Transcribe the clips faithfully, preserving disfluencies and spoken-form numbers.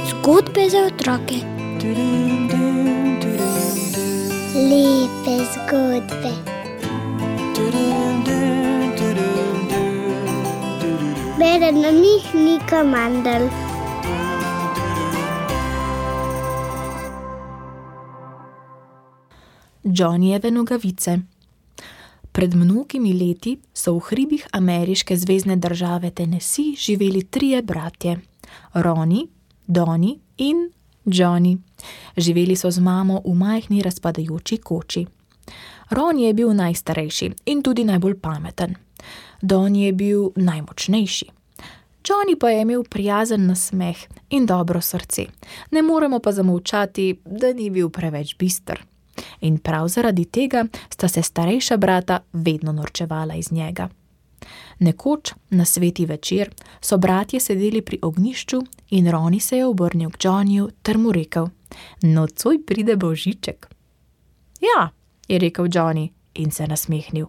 Zgodbe za otroke. Lepe zgodbe. Bere na njih Nika Mandl. Johnnyjeve nogavice. Pred mnogimi leti so v hribih ameriške zvezne države Tennessee živeli trije bratje. Ronnie, Donnie in Johnny. Živeli so z mamo v majhni razpadajoči koči. Ronnie je bil najstarejši in tudi najbolj pameten. Donnie je bil najmočnejši. Johnny pa je imel prijazen nasmeh in dobro srce. Ne moremo pa zamolčati, da ni bil preveč bister. In prav zaradi tega sta se starejša brata vedno norčevala iz njega. Nekoč, na sveti večer, so bratje sedeli pri ognjišču in Ronnie se je obrnil k Johnnyju ter mu rekel: "Nocoj pride Božiček." "Ja," je rekel Johnny in se nasmehnil.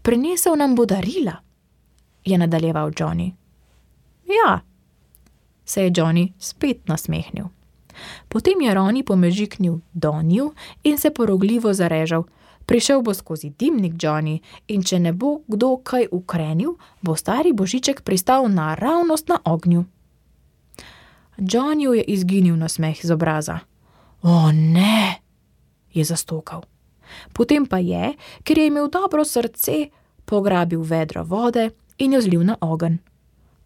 "Prinesel nam bo darila," je nadaljeval Johnny. "Ja," se je Johnny spet nasmehnil. Potem je Ronnie pomežiknil Donnyju in se porogljivo zarežal: "Prišel bo skozi dimnik, Johnny, in če ne bo kdo kaj ukrenil, bo stari Božiček pristal naravnost na ognju." Johnnyju je izginil nasmeh z obraza. "O ne," je zastokal. Potem pa je, ker je imel dobro srce, pograbil vedro vode in jo zlil na ogenj.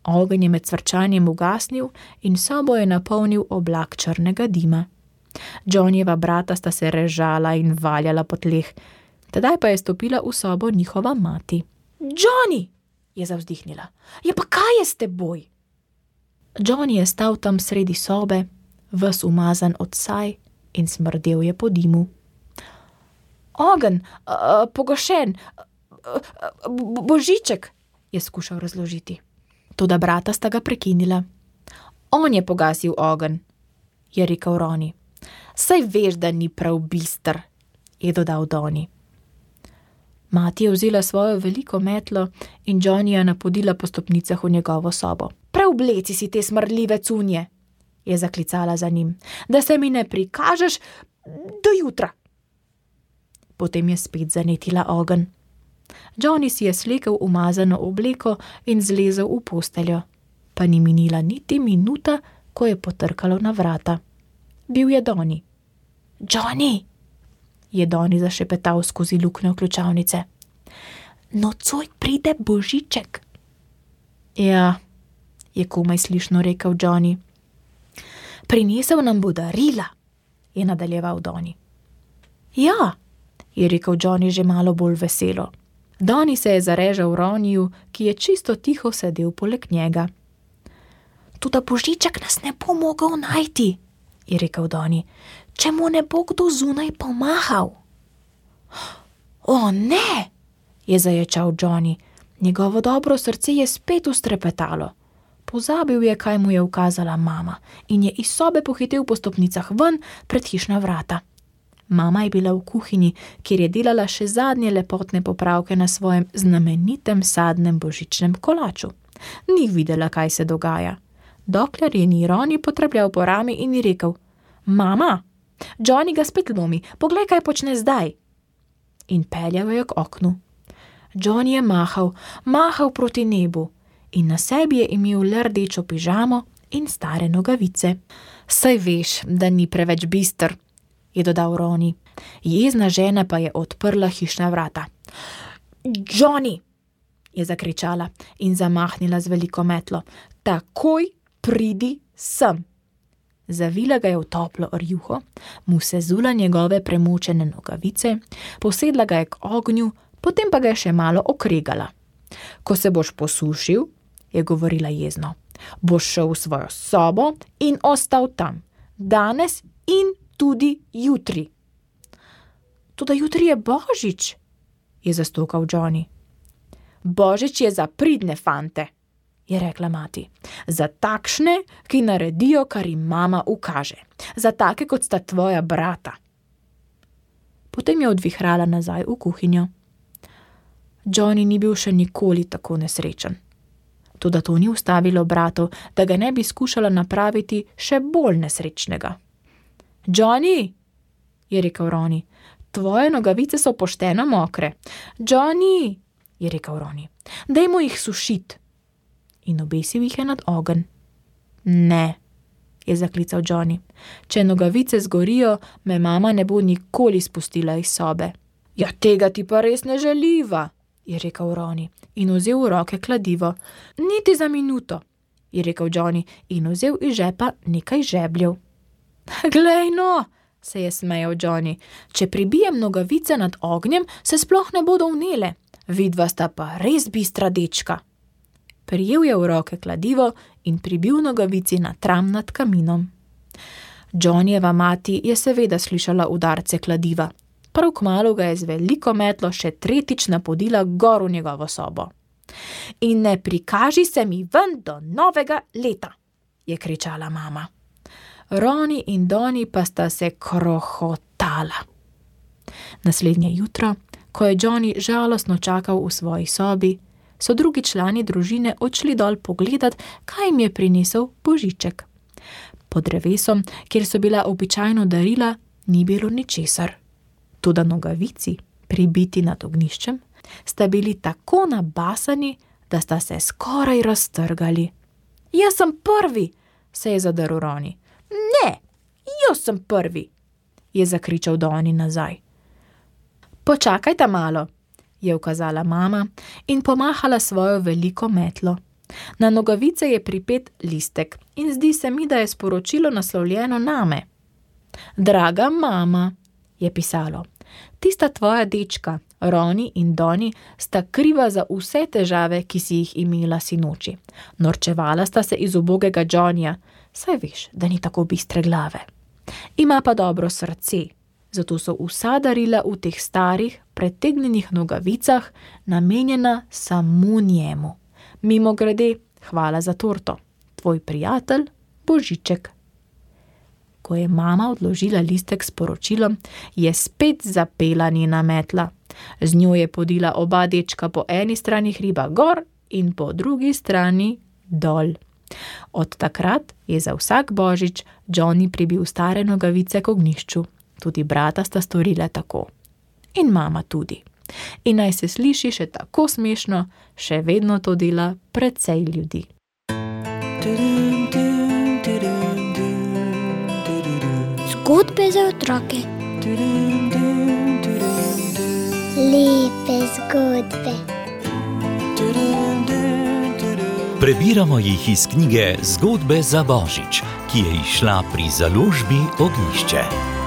Ogenj je med cvrčanjem ugasnil in sobo je napolnil oblak črnega dima. Johnnyjeva brata sta se režala in valjala po tleh. Tedaj pa je stopila v sobo njihova mati. "Johnny," je zavzdihnila, "je pa kaj je s teboj?" Johnny je stal tam sredi sobe, ves umazan od saj in smrdel je po dimu. "Ogenj, uh, pogašen, uh, Božiček," je skušal razložiti. Toda brata sta ga prekinila. "On je pogasil ogenj," je rekel Ronnie. "Saj veš, da ni prav bister," je dodal Donnie. Mati je vzela svojo veliko metlo in Johnnyja napodila po stopnicah v njegovo sobo. "Preobleci si te smrdljive cunje," je zaklicala za njim, "da se mi ne prikažeš do jutra." Potem je spet zanetila ogenj. Johnny si je slekel umazano obleko in zlezel v posteljo. Pa ni minila niti minuta, ko je potrkalo na vrata. Bil je Donnie. "Johnny," je Donnie zašepetal skozi luknjo ključavnice. "Nocoj pride Božiček." "Ja," je komaj slišno rekel Johnny. "Prinesel nam bo darila," je nadaljeval Donnie. "Ja," je rekel Johnny že malo bolj veselo. Donnie se je zarežal Ronnyju, ki je čisto tiho sedel poleg njega. "Toda Božiček nas ne bo mogel najti," je rekel Donnie, "če mu ne bo kdo zunaj pomahal." "O ne," je zaječal Johnny. Njegovo dobro srce je spet ustrepetalo. Pozabil je, kaj mu je ukazala mama, in je iz sobe pohitel po stopnicah ven pred hišna vrata. Mama je bila v kuhinji, kjer je delala še zadnje lepotne popravke na svojem znamenitem sadnem božičnem kolaču. Ni videla, kaj se dogaja. Dokler je ni Ronnie potrepljal po rami in ji rekel: "Mama, Johnny ga spet lomi, poglej, kaj počne zdaj." In peljal je k oknu. Johnny je mahal, mahal proti nebu in na sebi je imel le rdečo pižamo in stare nogavice. "Saj veš, da ni preveč bister," je dodal Ronnie. Jezna žena pa je odprla hišna vrata. "Johnny," je zakričala in zamahnila z veliko metlo, "takoj pridi sem." Zavila ga je v toplo rjuho, mu sezula njegove premočene nogavice, posedla ga je k ognju, potem pa ga je še malo okregala. "Ko se boš posušil," je govorila jezno, "boš šel v svojo sobo in ostal tam, danes in tudi jutri." "Toda jutri je Božič," je zastokal Johnny. "Božič je za pridne fante," je rekla mati. "Za takšne, ki naredijo, kar jim mama ukaže. Za take, kot sta tvoja brata." Potem je odvihrala nazaj v kuhinjo. Johnny ni bil še nikoli tako nesrečen. Toda to ni ustavilo bratov, da ga ne bi skušala napraviti še bolj nesrečnega. Johnny, je rekel Roni, tvoje nogavice so pošteno mokre. Johnny, je rekel Roni, dajmo jih sušit. In obesil jih je nad ogenj. Ne, je zaklical Johnny, če nogavice zgorijo, me mama ne bo nikoli spustila iz sobe. Ja, tega ti pa res ne želiva, je rekel Roni in vzel v roke kladivo. Niti za minuto, je rekel Johnny in vzel iz žepa nekaj žebljev. Glej no, se je smejal Johnny, če pribijem nogavice nad ognjem, se sploh ne bodo vnele. Vidva sta pa res bistra dečka. Prijel je v roke kladivo in pribil nogavici na tram nad kaminom. Johnnyjeva mati je seveda slišala udarce kladiva. Prav kmalu ga je z veliko metlo še tretjič napodila gor v njegovo sobo. In ne prikaži se mi ven do novega leta, je kričala mama. Roni in Doni pa sta se krohotala. Naslednje jutro, ko je Johnny žalostno čakal v svoji sobi, so drugi člani družine odšli dol pogledat, kaj jim je prinesel Božiček. Pod drevesom, kjer so bila običajno darila, ni bilo ničesar. Toda nogavici, pribiti nad ognjiščem, sta bili tako nabasani, da sta se skoraj raztrgali. Jaz sem prvi, se je zadrl Roni. Ne, jaz sem prvi, je zakričal Doni nazaj. Počakajta malo, je ukazala mama in pomahala svojo veliko metlo. Na nogavice je pripet listek in zdi se mi, da je sporočilo naslovljeno name. Draga mama, je pisalo, tista tvoja dečka, Roni in Doni, sta kriva za vse težave, ki si jih imela sinoči. Norčevala sta se iz ubogega Johnnyja, saj veš, da ni tako bistre glave. Ima pa dobro srce, zato so vsa darila v teh starih, pretegnjenih nogavicah namenjena samo njemu. Mimogrede, hvala za torto, tvoj prijatelj Božiček. Ko je mama odložila listek s poročilom, je spet zapela njena metla. Z njo je podila oba dečka po eni strani hriba gor in po drugi strani dol. Od takrat je za vsak Božič Johnny pribil stare nogavice k ognjišču. Tudi brata sta storila tako. In mama tudi. In naj se sliši še tako smešno, še vedno to dela precej ljudi. Zgodbe za otroke. Lepe zgodbe. Prebiramo jih iz knjige Zgodbe za Božič, ki je izšla pri založbi Ognjišče.